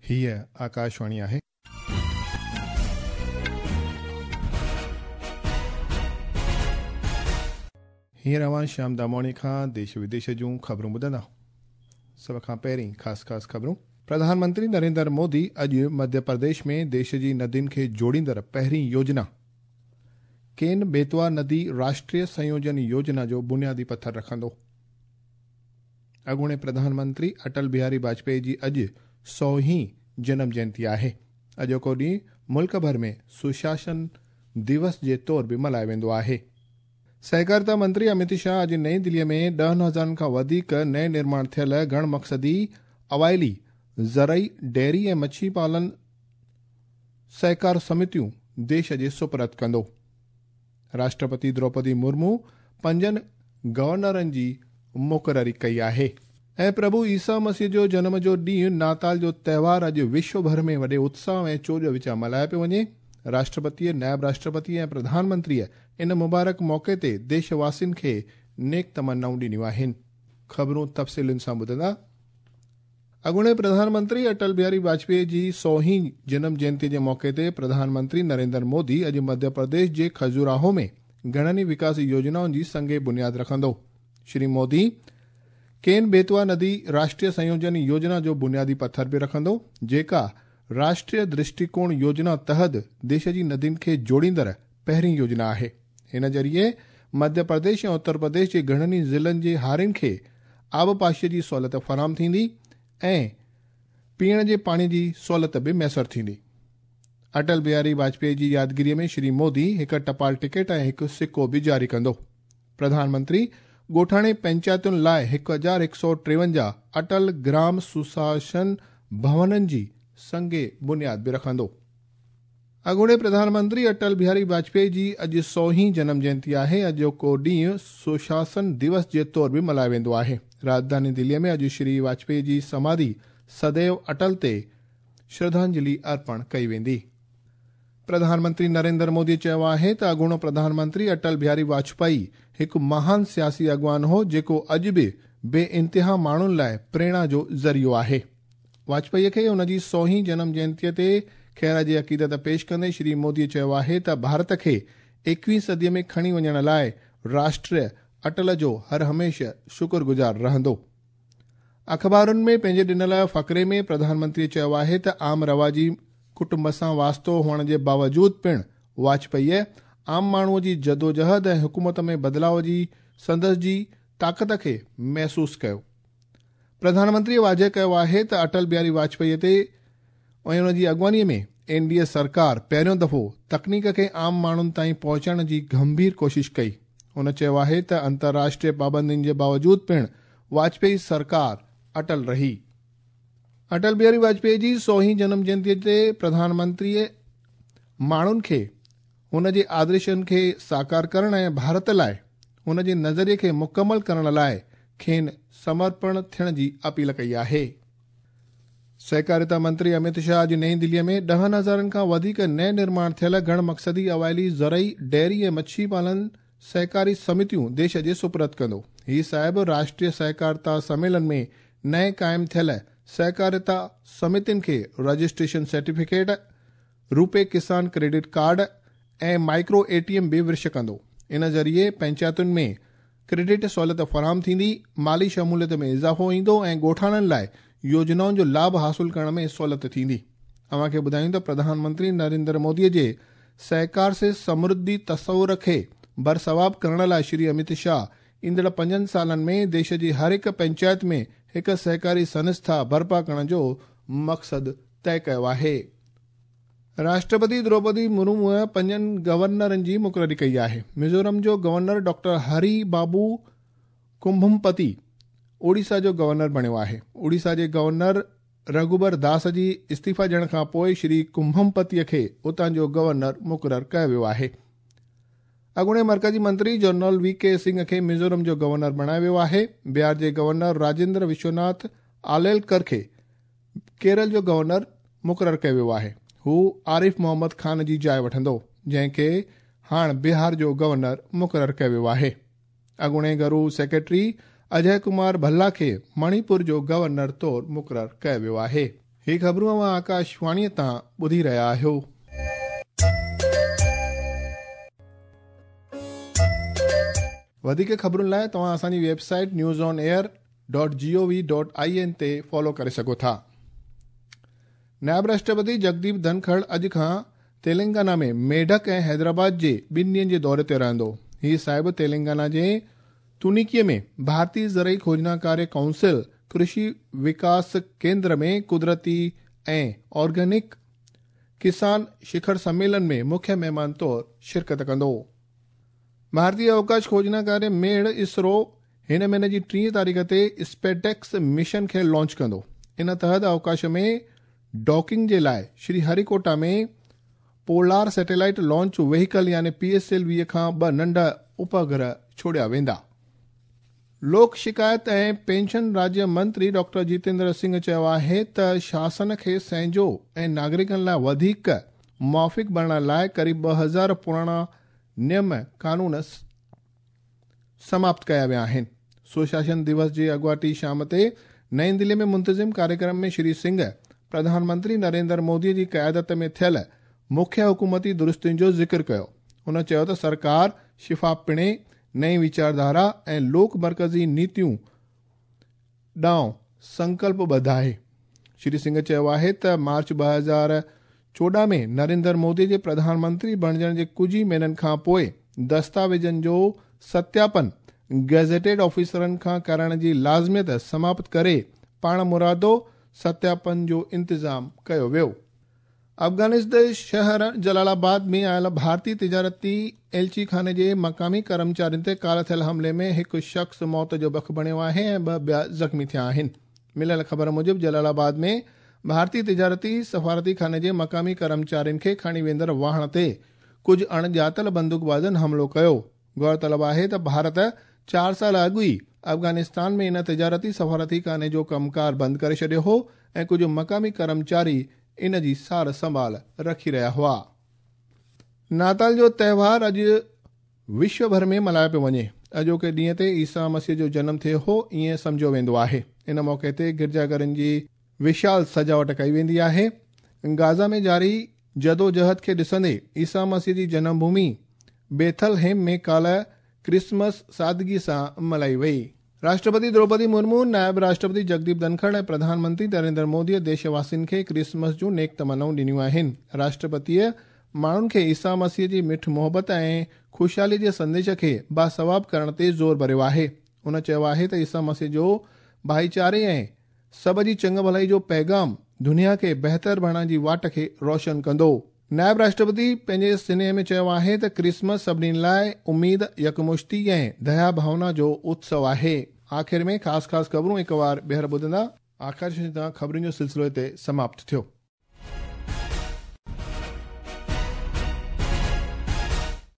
هيء آڪاشواڻي آهي. هينئر اوهان شيام داموڻي کان ديش وديش جون خبرون ٻڌندا. سڀ کان پهرين خاص خاص خبرون. پرڌان منتري نريندر مودي اڄ مڌيه پرديش ۾ ديش جي ندين کي جوڙيندڙ پهرين يوجنا ڪين بيتوا ندي راشٽريه سنيوجن يوجنا جو بنيادي پٿر رکندو. اڳوڻي پرڌان منتري اٽل بهاري واجپائي جي اڄ 100 هين جنم جينتي آهي. اڄوڪو ڏينهن ملڪ ڀر ۾ سشاسن دوس جي طور به ملهايو ويندو آهي. سهڪارتا منتري امت شاهه اڄ نئين دليء ۾ 10,000 کان وڌيڪ نئين نرماڻ ٿيل گهڻ مقصدي اوائلي زرعي، ڊيري ۽ مڇي پالن سهڪار سمتيون ديش جي سپرد ڪندو. راشٽرپتي دروپدي مرمو پنجن گورنرن جي مقرري ڪئي آهي. ۽ پرڀو عيسيٰ مسيح جو جنم جو ڏينهن ناتال جو تهوار اڄ وشو ڀر ۾ وڏي اتساهه ۽ چوڄ وچان ملهايو پيو وڃي. راشٽرپتيء، نائب راشٽرپتي ۽ پرڌان منتريء ان مبارڪ موقعي تي ديش واسين کي نيڪ تمنائون ڏنيون آهن. خبرون تفصيلن سان ٻڌندا. اڳوڻي پرڌان منتري اٽل بهاري واجپائي جي 100 هين جنم جينتي جي موقعي تي پرڌان منتري نريندر مودي اڄ مڌيه پرديش جي کجوراهو ۾ گهڻن ئي وڪاسي يوجنائن جي سنگ بنياد رکندو. شري مودي ڪين بيتوا ندي راشٽريه سنيوجن يوجنا جو بنيادي پٿر به رکندو، جيڪا راشٽريه درشٽيڪوڻ يوجنا تحت ديش جي ندين کي جوڙيندڙ پهرين يوجنا آهي. هن ذريعي مڌيه پرديش ۽ اتر پرديش جي گهڻن ئي ضلعن جي هارين کي آبپاشيء جي سهولت فراهم ٿيندي ۽ پيئڻ جي پاڻي جي سهولت به ميسر ٿيندي. اٽل بهاري واجپائي جي يادگيريء ۾ شري مودي هڪ ٽپال ٽڪيٽ ۽ هڪ سڪو به جاري ڪندو. پرڌان منتري ڳوٺاڻي پئنچاتين لاء 1153 اٽل گرام سشاسن ڀونن جي سنگ بنياد به رکندو. اڳوڻي پرڌان منتري اٽل بهاري واجپائي جي اڄ 100 هين جنم جينتي آهي. اڄوڪو ڏينهن سشاسن دوس جي طور به ملهايو ويندو آهي. راڄڌاني دليء ۾ اڄ شري واجپائي جي سماڌي سديو اٽل تي شرڌانجلي ارپڻ ڪئي ويندي. پرڌان منتري نريندر مودي چيو آهي ته اڳوڻو پرڌان منتري اٽل بهاري واجپائي هڪ مهان سياسي اڳواڻ هو، جيڪو اڄ به بي انتها ماڻهن لاء پريرڻا جو ذريعو آهي. واجپائيء کي ان جي 100 هين جنم جينتيء تي خراج عقيدت پيش ڪندي شري مودي چيو آهي ته ڀارت کي 21 صديء ۾ کڻي وڃڻ لاء راشٽر اٽل جو هر هميشه شڪر گذار رهندو. اخبارن ۾ پنهنجي ڏنل فقري ۾ پرڌان منتريء چيو آهي ته عام رواجي ڪٽنب سان واسطو هئڻ جي باوجود پڻ واجپائيء عام ماڻهوء جي جدوجهد ۽ حڪومت ۾ بدلاء جي سندس جي طاقت کي محسوس ڪيو. پرڌان منتريء واضح ڪيو آهي ته اٽل بهاري واجپائيء تي ۽ ان جي اڳواڻيء ۾ اين ڊي اي سرڪار پهريون دفعو تڪنيڪ کي عام ماڻهن تائين پهچائڻ جي گنڀير ڪوشش ڪئي. هن چيو آهي ته انترراشٽريه پابندين جي باوجود پڻ واجپائي سرڪار اٽل رهي. اٽل بهاري واجپائي جي 100 هين جنم جينتيء تي پرڌان منتريء ماڻهن کي هن جي آدرشن کي ساڪار ڪرڻ ۽ ڀارت لاء هن جي نظريي کي مڪمل ڪرڻ لاء کين سمرپڻ ٿيڻ جي اپيل ڪئي آهي. سهڪاريتا منتري امت شاهه اڄ نئين دليء ۾ 10,000 کان وڌيڪ نئين نرماڻ ٿيل گهڻ مقصدي اوائلي زرعي، ڊيري ۽ مڇي پالن سهڪاري سمتيون ديش جي سپرد ڪندو. هي صاحب راشٽريه سهڪارتا سميلن ۾ نئين قائم ٿيل سهڪاريتا سمتين کي registration certificate, RuPay Kisan credit card ۽ micro A T M به ورش ڪندو. ان ذريعي پئنچاتن ۾ ڪريڊٽ سهولت فراهم ٿيندي، مالي شموليت ۾ اضافو ايندو ۽ ڳوٺاڻن لاء يوجنائن جو لاڀ حاصل ڪرڻ ۾ سهولت ٿيندي. اوهان کي ٻڌايون ته پرڌان منتري نريندر مودي جي سهڪار سي سمرڌي تصور کي برثواب ڪرڻ لاء شري امت شاهه ايندڙ 5 سالن ۾ ديش جي هر هڪ پئنچائت ۾ هڪ سهڪاري سنسٿا برپا ڪرڻ جو مقصد طئي ڪيو آهي. راشٽرپتي دروپدي مرموء پنجن گورنرن جي مقرري ڪئي آهي. ميزورم جو گورنر ڊاڪٽر هري بابو ڪمڀمپتي اوڙيسا جو گورنر بڻيو آهي. اوڙيسا جي گورنر رگهوبر داس جي استعيفا ڏيڻ کان پوء شري ڪمڀمپتيء کي اتان جو گورنر مقرر ڪيو ويو آهي. اڳوڻي مرڪزي منتري جنرل وي ڪي سنگهه کي ميزورم جو گورنر بڻايو ويو آهي. بهار جي گورنر راجيندر وشوناٿ آليلڪر کي ڪيرل جو گورنر مقرر ڪيو ويو آهي. هو عارف محمد خان جي جاء وٺندو، جنهن کي هاڻ بهار جو گورنر مقرر ڪيو ويو آهي. اڳوڻي گهرو سيڪريٽري اجئه ڪمار ڀلا کي مڻيپور جو گورنر طور مقرر ڪيو ويو آهي. هي خبرون اوهان آڪاشواڻيء تان ٻڌي رهيا آهيو. وڌيڪ خبرن لاء توهان اسان جي website news on air dot G O V dot I N تي فالو ڪري سگهو ٿا. نائب راشٽرپتي جگديپ ڌنکڙ اڄ کان تيلنگانا ۾ ميڊڪ ۽ حيدرآباد جي ٻن ڏينهن جي دوري تي رهندو. هي صاحب تيلنگانا جي تونيڪي ۾ ڀارتي زرعي کوجنا ڪاريه ڪائونسل ڪرشي وڪاس ڪيندر ۾ قدرتي ۽ آرگينڪ ڪسان شکر سميلن ۾ مکيه مهمان طور شرڪت ڪندو. ڀارتي اوڪاش کوجنا ڪاريه ميڙ اسرو هن مهيني جي ٽين تاريخ تي اسپيڊيڪس مشن کي لانچ ڪندو. ان تحت اوڪاش ۾ ڊاڪنگ جي لاء شري هريڪوٽا ۾ پولار سيٽلائيٽ لانچ وهيڪل يعني پي ايس ايل وي کان ٻه ننڍا اپگرهه ڇوڙيا ويندا. لوڪ شڪايت ۽ پينشن راجيه منتري ڊاڪٽر جيتيندر سنگهه چيو آهي ته شاسن کي سهنجو ۽ ناگرڪن لاء وڌيڪ موافق بڻائڻ لاء قريب 2000 پراڻا نيم قانون سماپت ڪيا ويا آهن. سشاسن دوس جي اڳواٽي شام تي نئين دلي ۾ منتظم ڪاريڪرم ۾ شري سنگهه پرڌان منتري نريندر مودي جي قيادت ۾ ٿيل مکيه حڪومتي درستين جو ذڪر ڪيو. هن چيو ته سرڪار شفافپڻي، نئين ويچارڌارا ۽ لوڪ مرڪزي نيتيون ڏانهن سنڪلپ ٻڌ آهي. شري سنگهه چيو آهي ته مارچ 2014 ۾ نريندر مودي جي پرڌان منتري بڻجڻ جي ڪجهه ئي مهينن کان پوء دستاويزن جو ستياپن گزيٽيڊ آفيسرن کان ڪرائڻ جي لازميت سماپت ڪري پاڻمرادو ستياپن جو انتظام ڪيو ويو. افغانستان جي شهر جلال آباد ۾ آيل ڀارتي تجارتي ايلچي خاني جي مقامي ڪرمچارين تي ڪالهه ٿيل حملي ۾ هڪ شخص موت جو بک بڻيو آهي ۽ ٻه ٻيا زخمي ٿيا آهن. مليل خبر موجب جلال آباد ۾ ڀارتي تجارتي سفارتي خاني جي مقامي ڪرمچارين کي کڻي ويندڙ واهڻ تي ڪجهه اڻڄاتل بندوقبازن حملو ڪيو. غور طلب آهي ته ڀارت چار سال اڳ ئي افغانستان ۾ ان تجارتي سفارتي خاني جو ڪم ڪار بند ڪري ڇڏيو هو ۽ ڪجهه مقامي ڪرمچاري ان جي سار سنڀال رکي رهيا هئا. ناتال جو تهوار اڄ وشو ڀر ۾ ملهايو پيو وڃي. اڄوڪي ڏينهن تي عيسيٰ مسيح جو جنم ٿيو هو ائين سمجهيو ويندو آهي. ان موقعي تي گرجا گهرن جي وشال سجاوٽ ڪئي ويندي آهي. گازا ۾ جاري جدوجهد کي ڏسندي عيسيٰ مسيح جي جنم ڀومي بيٿل هيم ۾ ڪالهه ڪرسمس سادگي سان ملهائي وئي. راشٽرپتي دروپدي مرمو، نائب راشٽرپتي جگديپ ڌنکڙ ۽ پرڌان منتري نريندر موديء ديش واسين کي ڪرسمس جون نيڪ تمنائون ڏنيون آهن. راشٽرپتيء ماڻهن کي عيسيٰ مسيح جي مٺ محبت ۽ خوشحالي جي سنديش کي باثواب ڪرڻ تي زور ڀريو آهي. هن چيو آهي ته عيسيٰ مسيح جو ڀائيچاري ۽ سڀ جي چڱ ڀلائي جو پيغام دنيا کي بهتر بڻائڻ جي واٽ کي روشن ڪندو. نائب راشٽرپتي پنهنجي سنيهي ۾ چيو آهي ته ڪرسمس سڀني لاء اميد، يڪمشتي ۽ ديا ڀاونا جو اتسو آهي. آخر ۾ خاص خاص خبرون هڪ وار ٻيهر ٻڌندا. آڪاشواڻي تان خبرن جو سلسلو هتي سماپت ٿيو.